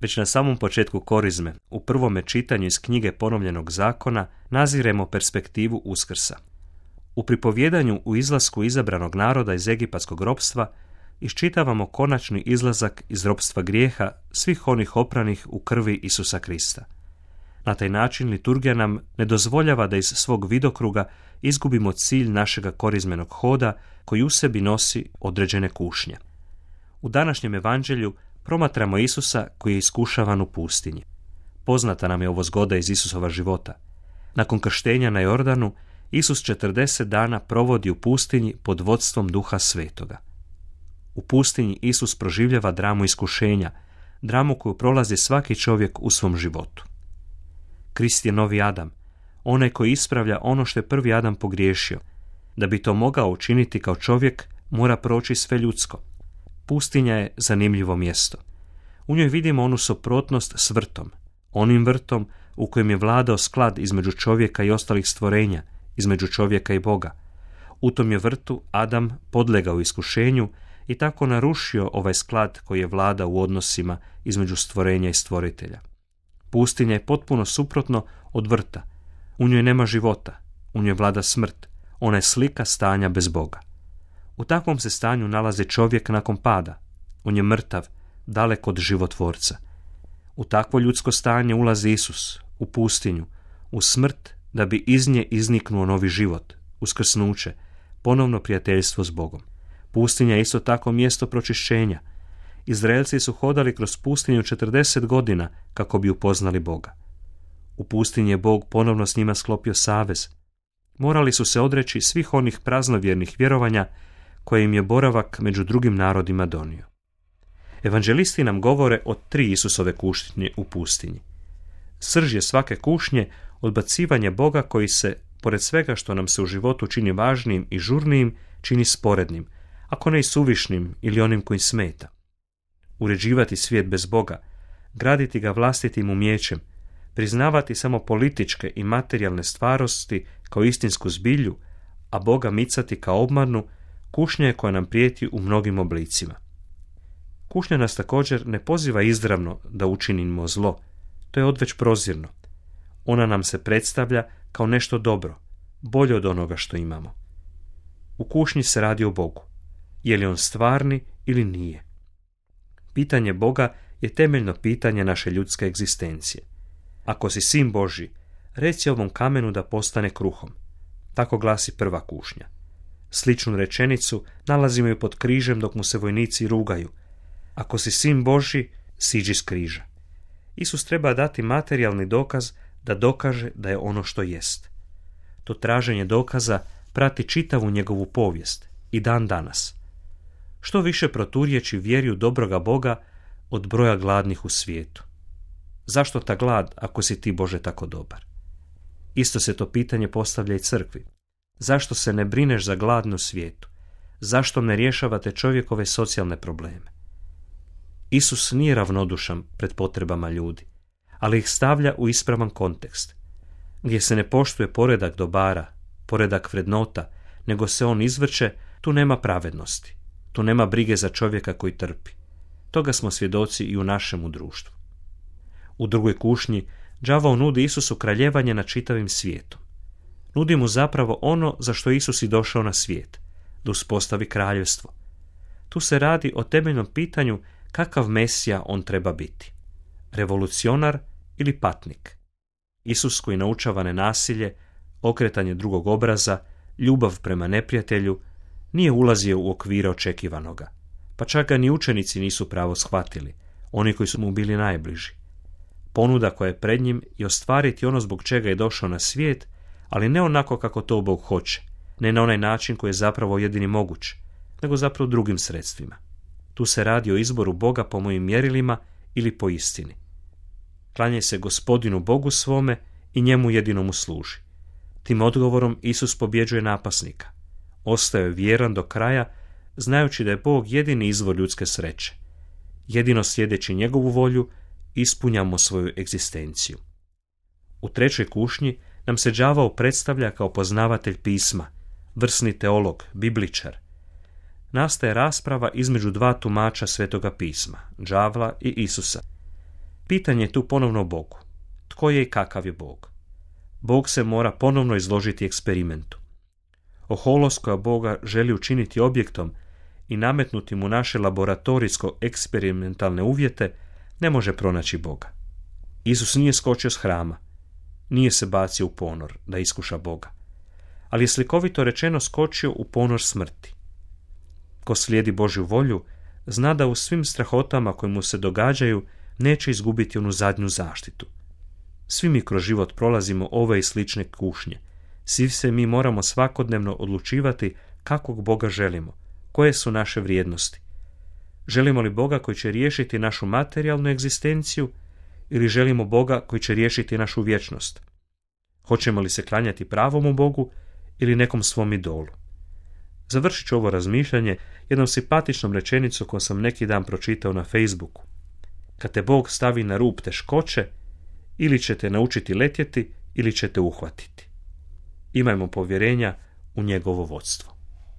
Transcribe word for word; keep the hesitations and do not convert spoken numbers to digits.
Već na samom početku korizme, u prvome čitanju iz knjige Ponovljenog zakona, naziremo perspektivu Uskrsa. U pripovjedanju u izlasku izabranog naroda iz egipatskog ropstva iščitavamo konačni izlazak iz ropstva grijeha svih onih opranih u krvi Isusa Krista. Na taj način liturgija nam ne dozvoljava da iz svog vidokruga izgubimo cilj našega korizmenog hoda koji u sebi nosi određene kušnje. U današnjem evanđelju promatramo Isusa koji je iskušavan u pustinji. Poznata nam je ovo zgoda iz Isusova života. Nakon krštenja na Jordanu, Isus četrdeset dana provodi u pustinji pod vodstvom Duha Svetoga. U pustinji Isus proživljava dramu iskušenja, dramu koju prolazi svaki čovjek u svom životu. Krist je novi Adam, onaj koji ispravlja ono što je prvi Adam pogriješio. Da bi to mogao učiniti kao čovjek, mora proći sve ljudsko. Pustinja je zanimljivo mjesto. U njoj vidimo onu suprotnost s vrtom, onim vrtom u kojem je vladao sklad između čovjeka i ostalih stvorenja, između čovjeka i Boga. U tom je vrtu Adam podlegao iskušenju i tako narušio ovaj sklad koji je vladao u odnosima između stvorenja i stvoritelja. Pustinja je potpuno suprotno od vrta. U njoj nema života, u njoj vlada smrt, ona je slika stanja bez Boga. U takvom se stanju nalazi čovjek nakon pada. On je mrtav, daleko od životvorca. U takvo ljudsko stanje ulazi Isus, u pustinju, u smrt, da bi iz nje izniknuo novi život, uskrsnuće, ponovno prijateljstvo s Bogom. Pustinja je isto tako mjesto pročišćenja. Izraelci su hodali kroz pustinju četrdeset godina kako bi upoznali Boga. U pustinji je Bog ponovno s njima sklopio savez. Morali su se odreći svih onih praznovjernih vjerovanja koje im je boravak među drugim narodima donio. Evanđelisti nam govore o tri Isusove kušnje u pustinji. Srž je svake kušnje odbacivanje Boga koji se, pored svega što nam se u životu čini važnijim i žurnijim, čini sporednim, ako ne i suvišnim ili onim koji smeta. Uređivati svijet bez Boga, graditi ga vlastitim umijećem, priznavati samo političke i materijalne stvarosti kao istinsku zbilju, a Boga micati kao obmanu, kušnja je koja nam prijeti u mnogim oblicima. Kušnja nas također ne poziva izravno da učinimo zlo, to je odveć prozirno. Ona nam se predstavlja kao nešto dobro, bolje od onoga što imamo. U kušnji se radi o Bogu. Je li on stvarni ili nije? Pitanje Boga je temeljno pitanje naše ljudske egzistencije. Ako si sin Božji, reci ovom kamenu da postane kruhom. Tako glasi prva kušnja. Sličnu rečenicu nalazimo i pod križem dok mu se vojnici rugaju. Ako si sin Božji, siđi s križa. Isus treba dati materijalni dokaz da dokaže da je ono što jest. To traženje dokaza prati čitavu njegovu povijest i dan danas. Što više proturječi vjeri u dobroga Boga od broja gladnih u svijetu. Zašto ta glad ako si ti, Bože, tako dobar? Isto se to pitanje postavlja i crkvi. Zašto se ne brineš za gladnu svijetu? Zašto ne rješavate čovjekove socijalne probleme? Isus nije ravnodušan pred potrebama ljudi, ali ih stavlja u ispravan kontekst. Gdje se ne poštuje poredak dobara, poredak vrednota, nego se on izvrće, tu nema pravednosti. Tu nema brige za čovjeka koji trpi. Toga smo svjedoci i u našemu društvu. U drugoj kušnji đavao nudi Isusu kraljevanje nad čitavim svijetom. Nudi mu zapravo ono za što Isus i došao na svijet, da uspostavi kraljevstvo. Tu se radi o temeljnom pitanju kakav Mesija on treba biti. Revolucionar ili patnik. Isus koji naučava nenasilje, okretanje drugog obraza, ljubav prema neprijatelju, nije ulazio u okvire očekivanoga, pa čak ga ni učenici nisu pravo shvatili, oni koji su mu bili najbliži. Ponuda koja je pred njim je ostvariti ono zbog čega je došao na svijet, ali ne onako kako to Bog hoće, ne na onaj način koji je zapravo jedini moguć, nego zapravo drugim sredstvima. Tu se radi o izboru Boga po mojim mjerilima ili po istini. Klanjaj se Gospodinu Bogu svome i njemu jedinomu služi. Tim odgovorom Isus pobjeđuje napasnika. Ostao je vjeran do kraja, znajući da je Bog jedini izvor ljudske sreće. Jedino slijedeći njegovu volju, ispunjamo svoju egzistenciju. U trećoj kušnji nam se đavao predstavlja kao poznavatelj pisma, vrsni teolog, bibličar. Nastaje rasprava između dva tumača Svetoga pisma, đavla i Isusa. Pitanje je tu ponovno Bogu. Tko je i kakav je Bog? Bog se mora ponovno izložiti eksperimentu. Oholost koja Boga želi učiniti objektom i nametnuti mu naše laboratorijsko eksperimentalne uvjete ne može pronaći Boga. Isus nije skočio s hrama, nije se bacio u ponor da iskuša Boga, ali je slikovito rečeno skočio u ponor smrti. Ko slijedi Božju volju, zna da u svim strahotama koje mu se događaju neće izgubiti onu zadnju zaštitu. Svi mi kroz život prolazimo ove i slične kušnje. Svi se mi moramo svakodnevno odlučivati kakvog Boga želimo, koje su naše vrijednosti. Želimo li Boga koji će riješiti našu materijalnu egzistenciju ili želimo Boga koji će riješiti našu vječnost? Hoćemo li se klanjati pravom Bogu ili nekom svom idolu? Završit ću ovo razmišljanje jednom simpatičnom rečenicom koju sam neki dan pročitao na Facebooku. Kad te Bog stavi na rub teškoće, ili ćete naučiti letjeti ili ćete uhvatiti. Imajmo povjerenja u njegovo vodstvo.